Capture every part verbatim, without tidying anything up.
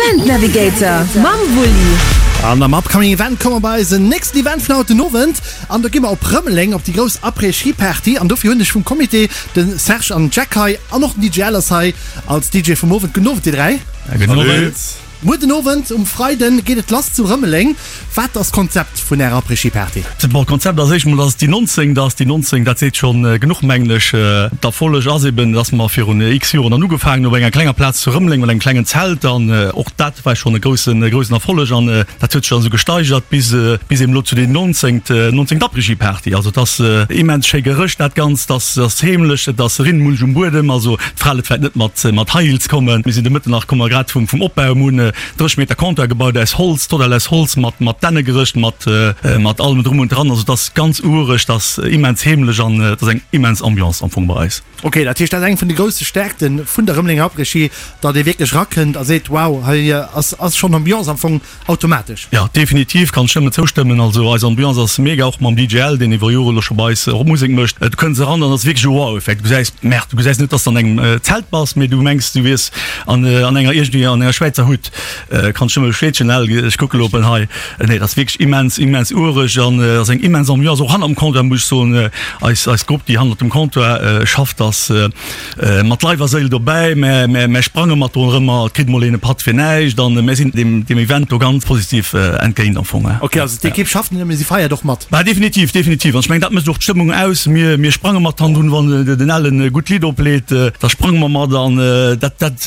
Event Navigator mam Wulli. An am Upcoming Event komme mer bei eisen nächsten Event vun haut den Owend an do gi mer op Rëmeleng op déi grouss Après-Ski Party an dofir hunn ech vum Comité de Serge an Jack hei an och den D J Al ass hei als D J vum Owend. Gudden Owend dir dräi. Gudden Owend. Muer den Owend um Freiden geet et lass zu Rëmeleng. Wat ass d'Konzept vun ärer Après-Ski-Party? Bon, d'Konzept ass éischt mol, dass et déi nonzéngt ass. Déi nonzéngt, dat seet schonn genuch, mengen ech. D'Erfolleg ass eben, dass mer virun x Joren dann ugefaangen hunn op enger klenger Plaz zu Rëmeleng mat engem klengen Zelt. An och dat war schonn e groussen, groussen Erfolleg. An dat huet sech dann esou gesteigert bis, bis eben elo zu déi nonzéngt, nonzéngt Après-Ski-Party. Also et ass immens schéi gerëscht dat Ganzt, et ass, ass heemlech, et ass Rinnmulch um Buedem. Also d'Frale vläicht net mat, mat High Heels kommen. Mir sinn de Mëtten nach, komme mer grad vum, vum Opbau. Mir hunn dräisseg Meter Comptoir gebaut aus Holz, total aus Holz, mat, mat Dännegerëscht, mat, mat allem drum und dran. Also et ass ganz ureg, et ass immens heemlech an et ass eng immens Ambiance am Fong bei eis. Ok, dat heescht, dat ass eng vun de grousse Stärkte vun der Rëmelenger Après-Ski, datt ee wierklech erakënnt a seet, wow, hei ass, ass schonn Ambiance am Fong automatesch. Jo, definitiv, kann ech nëmmen zoustëmmen. Also eis Ambiance ass mega, och mam D J Al, deen iwwer Jore elo scho bei eis och Musek mécht. Du kënns eran an ass wierklech e Wow-Effekt. Du gesäis, Merde, du gesäis net, dass de an engem Zelt bass, mee du mengs, du wiers an, an enger iergendwéi an enger Schwäizer Hut. Kann ech nëmme bestätegen, Al, ech kucke elo op en hei. Nee, dat ass wierklech immens, immens ureg an ass eng immens Ambiance. Och hanner dem Comptoir, muss ech soen, eis, eis Grupp, déi hannert dem Comptoir schafft, ass mat Leif a Séil dobäi. Mä, mä, mä sprange mat do erëm, et kritt mol een e Patt fir näischt an mär sinn deem, deem Event do ganz positiv entgéint am Fong. Ok, also d'Ekipp schafft net nëmme, si feiert och mat. Bah, definitiv, definitiv. An ech mengen, dat mécht och d'Stëmmung aus. Mir, mir sprange mat hannendrun, wann den Al e gutt Lidd opleet, da sprange mer mat an dat, dat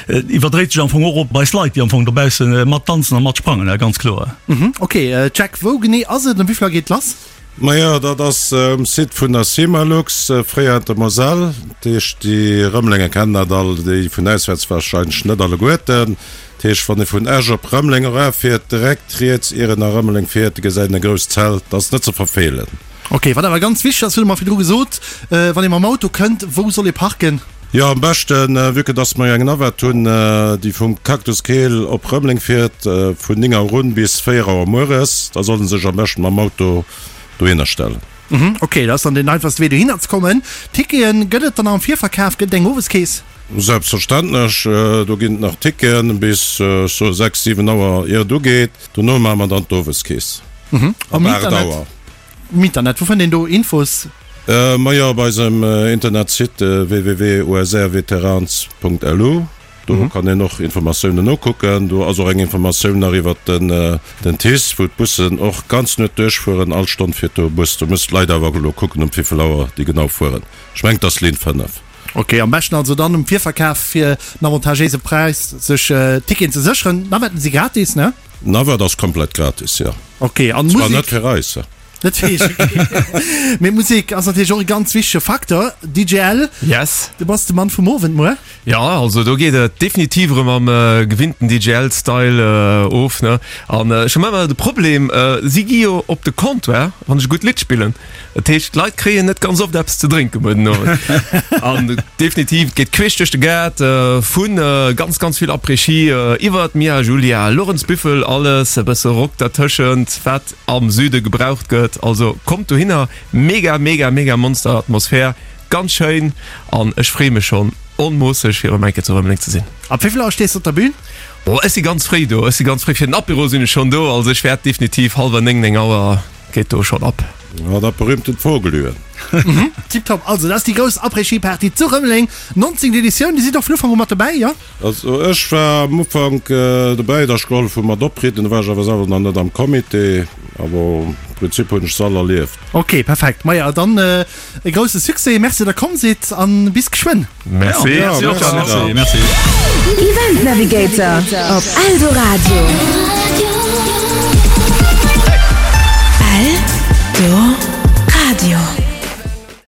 iwwerdréit sech am Fong och op eis Leit, déi am Fong dobausse mat tanzen a mat sprangen, ganz kloer. Ok, Jack, wou genee ass et an wéi vill Auer geet et lass? Majo, dat ass um Site vun der Cimalux, fréier Intermoselle. Dat heescht, déi Rëmelenger kennen dat all, déi vun auswäerts warscheinlech net alleguerten. Dat heescht, wann ee vun Esch op Rëmeleng erafiert, direkt riets, ier een a Rëmeleng fiert, gesäit een e grousst Zelt. Dat ass net ze verfeelen. Ok, wat awer ganz wichteg ass, hutt Der mer virdru gesot, wann ee mam Auto kënnt, wou soll ee parken? Jo, am beschten, vue que dass mer jo eng Navette hunn, déi vum Cactus Keel op Rëmeleng fiert, vun néng Auer un bis véier Auer mueres, da soll en sech am beschten mam Auto dohinner stellen. Mhm, ok, dat ass dann deen einfachste Wee dohinner ze kommen. Ticketen gëtt et dann am Virverkaf? Gëtt et eng Oweskeess? Selbstverständlech, do ginn et nach Ticketen bis, ech soe sechs, siwen Auer ier et ugeet. Dono maache mer dann d'Oweskeess ab aacht Auer. Um Internet, wou fënnt een do Infos? Majo, op eisem Internetsite www usrveterans punkt lu, do kann een och Informatiounen nokucken. Do ass och eng Informatioun nach iwwert den TICE, wou d'Bussen och ganz Nuet duerchfueren. All Stonn fiert do e Bus. Do müssen d'Leit awer elo kucken, um wéivill Auer déi genau fueren. Ech mengen, et ass Linn fënnef. Ok, am beschten also dann um Virverkaf fir en avantagéise Präis sech Ticketen ze sécheren. D'Navetten si gratis, ne? D'Navette ass komplett gratis, jo. Ok, an Zwar net fir eis. Net fir iech, ok. Mee Musek ass natierlech och e ganz wichtege Facteur. D J L, Yes. du bass de Mann vum Owend muer. Jo, also do geet et definitiv erëm am gewinnten D J L-Style of, ne? An ech hu ëmmer de Problem, si gi jo op de Comptoir, wann ech e gutt Lidd spillen. Dat heescht, d'Leit kréien net ganz oft eppes ze drénke muer den Owend. An definitiv, et geet queesch duerch de Gaart, vu ganz, ganz vill Après-Ski iwwert Mia Julia, Lorenz Büffel, alles, e bësse Rock dertëschent, wat am Süde gebraucht gëtt. Also kommt dohinner, mega mega mega Monster Atmosphär, ganz schéin an ech freeë mech schonn onmoosseg fir erëm eng Kéier zu Rëmeleng ze sinn. Ab wéi vill Auer stees de op der Bühn? Oh ech si ganz fréi do, ech si ganz fréi, fir den Apéro sinn ech schonn do, also ech wäert definitiv hallwer néng, néng Auer geet do schonn ab. Ja, dat berühmtent Vogelüen. Tiptop, also dat ass déi grouss Après-Ski-Party zu Rëmeleng, nonzéngt Editioun, Dir sidd och vun Ufank u mat dobäi, jo? Also ech war am Ufank dobäi, da ech gehollef hu mat oprieden, do war ech awer selwer nach net am Comité, awer am Prinzip hunn ech se all erlieft. Ok, perfekt, maja dann e grousse Succès, merci datt der komm sidd an bis geschwënn. Merci, Ja, merci. Merci. Event Navigator op Eldoradio.